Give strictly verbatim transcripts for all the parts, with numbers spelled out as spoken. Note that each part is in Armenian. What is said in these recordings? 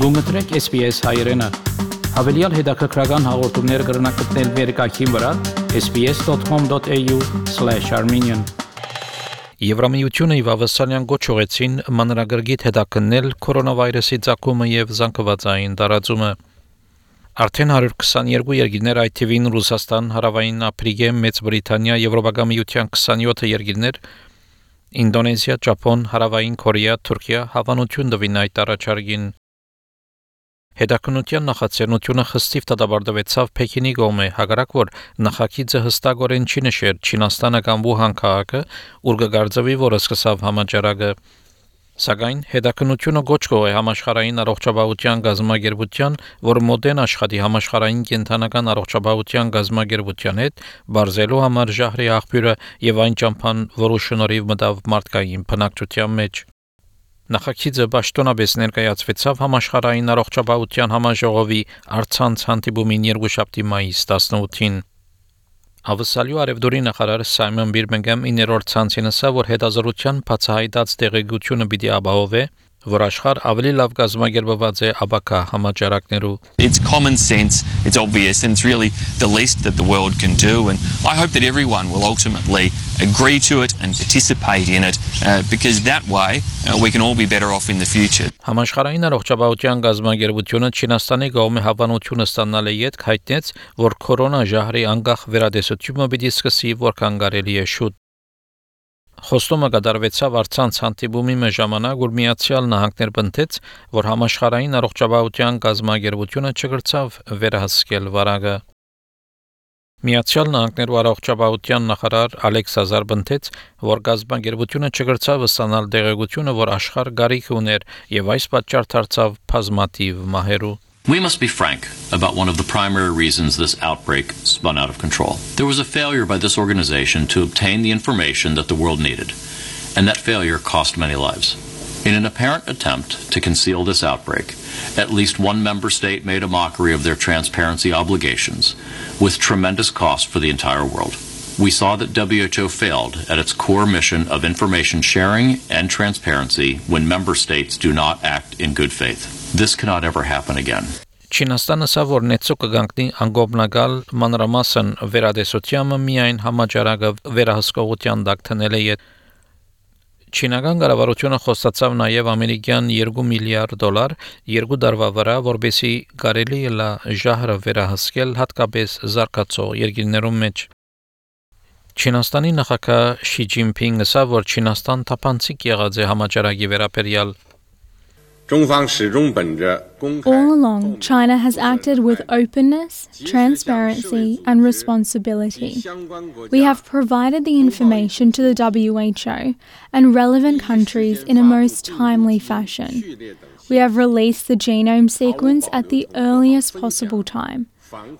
Գումտրեք S B S հայերեն։ Հավելյալ հետաքրքրական հաղորդումներ կգրնակցնել վերկայքին վրա s b s dot com dot a u slash armenian Եվրամիությունը եւ ավասանյան գոչ ուղեցին մանրագրգիռ հետաքննել կորոնավիրուսի ցակումը եւ զանգվածային տարածումը։ Արդեն one hundred twenty-two երկրներ, այդ թվին Ռուսաստան, Հարավային Աֆրիկա, Մեծ Բրիտանիա, Եվրոպական միության twenty-seven երկրներ, Ինդոնեզիա, Ճապոն, Հարավային Կորեա, Թուրքիա հավանություն տվին այդ առաջարկին։ Հետաքննության նախաձեռնությունը խստիվ դատապարտվեցավ Պեկինի կողմէ, հակառակ որ նախագիծը հստակորեն չի նշեր Չինաստանը կամ Ուհան քաղաքը, ուր կգարձվի, որ սկսավ համաճարակը։ Սակայն հետաքննությունը գոչ կողե համաշխարհային առողջապահության գազամագերբության, որ մոդեն աշխատի համաշխարհային կենտրոնական առողջապահության գազամագերբության հետ, բարձելու համար ժահրի աղբյուրը եւ այն ճամփան, որը շնորհիվ մտավ մարդկային բնակչության մեջ։ Նախագիծը պաշտոնապես ներկայացվեցավ համաշխարհային առողջապահության համաժողովի առցանց հանդիպումին երկուշաբթի մայիս eighteen-ին։ Ավսալյու արևդուրի նախարար Սայմոն Բիրմինգհամ իններորդ ցանցին ասա, որ հետազոտության բացահայտած տեղեկությունը պիտի ապահովե, որ աշխարհ ավելի լավ գազամագերբված է ապակա համաճարակներու։ It's common sense, it's obvious, and it's really the least that the world can do, and I hope that everyone will ultimately agree to it and participate in it, uh, because that way uh, we can all be better off in the future. Համաշխարհային առողջապահության գազամագերբությունը Չինաստանի կողմէ հավանությունը ստանալ է յետ հայտնեց, որ կորոնա ժահրի անկախ վերադեսությունը պիտի սկսի որքան կարելի է շուտ։ Խոստումը կատարվեցավ առցանց հանդիպումի ժամանակ, որ Միացյալ Նահանգներ պնդեց, որ համաշխարհային առողջապահության գազամագերբությունը չկրծավ վերահսկել վարակը։ Միացյալ Նահանգներու առողջապահության նախարար Ալեքս Ազար պնդեց, որ գազամագերբությունը չկրծավ ստանալ տեղեկությունը, որ աշխարհ գարիք ուներ, եւ այս պատճառ դարձավ բազմաթիվ մահերու։ We must be frank about one of the primary reasons this outbreak spun out of control. There was a failure by this organization to obtain the information that the world needed, and that failure cost many lives. In an apparent attempt to conceal this outbreak, at least one member state made a mockery of their transparency obligations, with tremendous cost for the entire world. We saw that W H O failed at its core mission of information sharing and transparency when member states do not act in good faith. This cannot ever happen again. Չինաստանը սա որ նեցո կգանքնի անգոբնագալ մանրամասն վերադեսությամը միայն համաճարակը վերահսկողության դակ թնել է։ Չինական կառավարությունը խոստացավ նաև ամերիկյան two միլիարդ դոլար երկու տարվա վրա, որբեսի կարելի է ժահրը վերահսկել հատկապես զարգացող երկրներում մեջ։ Չինաստանի նախագահ Շի Ջինփինգը ասա, որ Չինաստան թափանցիկ եղած է համաճարակի վերաբերյալ։ All along, China has acted with openness, transparency, and responsibility. We have provided the information to the W H O and relevant countries in a most timely fashion. We have released the genome sequence at the earliest possible time.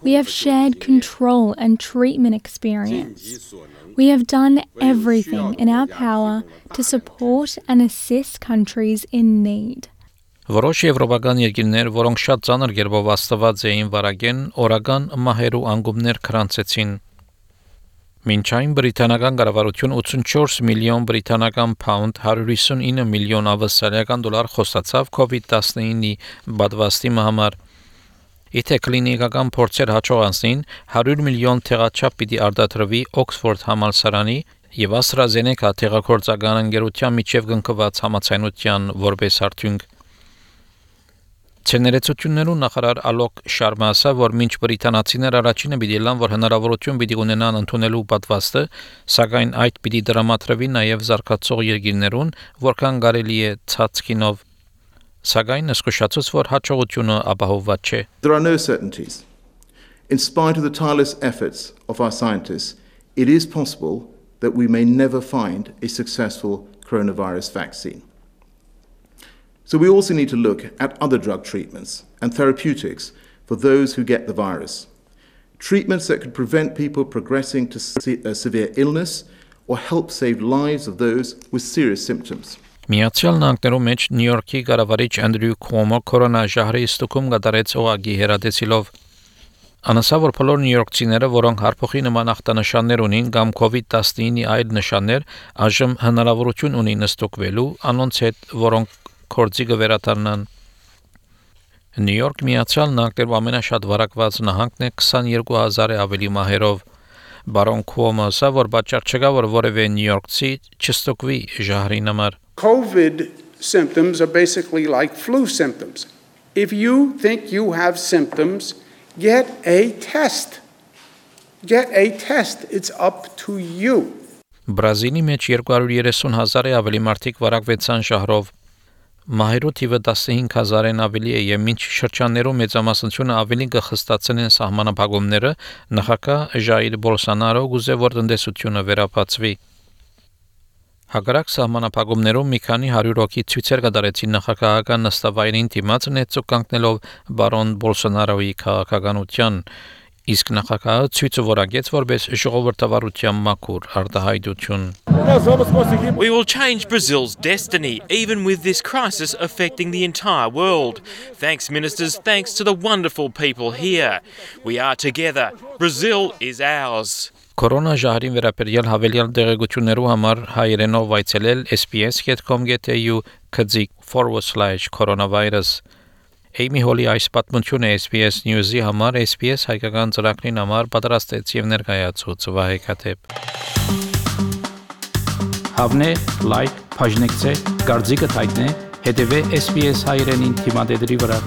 We have shared control and treatment experience. We have done everything in our power to support and assist countries in need. Որոշ եվրոպական երկրներ, որոնք շատ ծանր կերպով աստված էին վարակեն, օրական մահերու անգումներ քրանցեցին։ Մինչ այն բրիտանական կառավարություն eighty-four միլիոն բրիտանական փաունդ one hundred fifty-nine միլիոն ավստրալիական դոլար խոստացավ COVID nineteen-ի պատվաստի համար։ Եթե կլինիկական փորձեր հաջող անցնին, one hundred միլիոն տեղաչափ պիտի արտադրվի Օքսֆորդ համալսարանի եւ AstraZeneca տեղակորցական ընկերության միջև կնքված համաձայնության որպես արդյունք։ Ցեներեցություններու նախարար Ալոկ Շարմա ասա, որ մինչ բրիտանացիներ առաջինը պիտի լան, որ հնարավորություն պիտի ունենան ընդունելու պատվաստը, սակայն այդ պիտի դրամատրվի նաև զարգացող երկրներուն, որքան կարելի է ցածկինով։ Սակայն զսկուշացուց, որ հաջողությունը ապահովված չէ։ There are no certainties. In spite of the tireless efforts of our scientists, it is possible that we may never find a successful coronavirus vaccine. So we also need to look at other drug treatments and therapeutics for those who get the virus. Treatments that could prevent people progressing to se- uh, severe illness or help save lives of those with serious symptoms. Միացյալ Նահանգներու մեջ Նյու Յորքի կառավարիչ Անդրյու Քուոմո կորոնաժահրի ստուգում կատարեց օղակի հերատեսիլով։ Անասա որ բոլոր նյույորքցիները, որոնք հարփոխի նման ախտանշաններ ունին կամ COVID nineteen-ի այլ նշաններ, այժմ հնարավորություն ունին ստուգվելու անոնց հետ, որոնք կորձի կվերադառնան։ Նյու Յորք Միացյալ Նահանգներում ամենաշատ վարակված նահանգն է twenty-two thousand-ը ավելի մահերով։ Բարոն Քուոմոն ասա, որ պատճառ չկա, որ որևէ նյույորքցի չստուգվի ժահրին համար։ COVID symptoms are basically like flu symptoms. If you think you have symptoms, get a test. Get a test. It's up to you. Բրազիլի մեջ two hundred thirty thousand-ը ավելի մարդիկ վարակվեցան ժահրով։ Մահերու թիվը fifteen thousand-ն ավելի է եւ մինչ շրջաններում մեծամասնությունը ավելի կխստացնեն են սահմանափակումները, նախագահ Ժայր Բոլսոնարո գուզե որ տնտեսությունը վերապացվի։ Հակառակ սահմանափակումներում մի քանի հարյուր հոգի ցույցեր կատարեցին նախագահական նստավայրին դիմաց նեցու կանգնելով բարոն Բոլսոնարոյի քաղաքականության, իսկ նախագահը ցույցը որակեց որպես ժողովրդավարության մաքուր արտահայտություն։ We will change Brazil's destiny, even with this crisis affecting the entire world. Thanks, ministers, thanks to the wonderful people here. We are together. Brazil is ours. Կորոնա ժահրին վերաբերյալ հավելյալ տեղեկություններու համար հայերենով այցելել S B S dot com dot A U քծիկ forward slash coronavirus Amy Holly այս պատմությունը S B S News-ի համար S B S հայկական ծրագրին համար պատրաստեց եւ ներկայացուց Վահե Քաթեփ։ Հավնե, լայք, բաժնեկցե, դարձիկը թայտնե, հետեւե S B S հայրենին թիմադեդի վրա։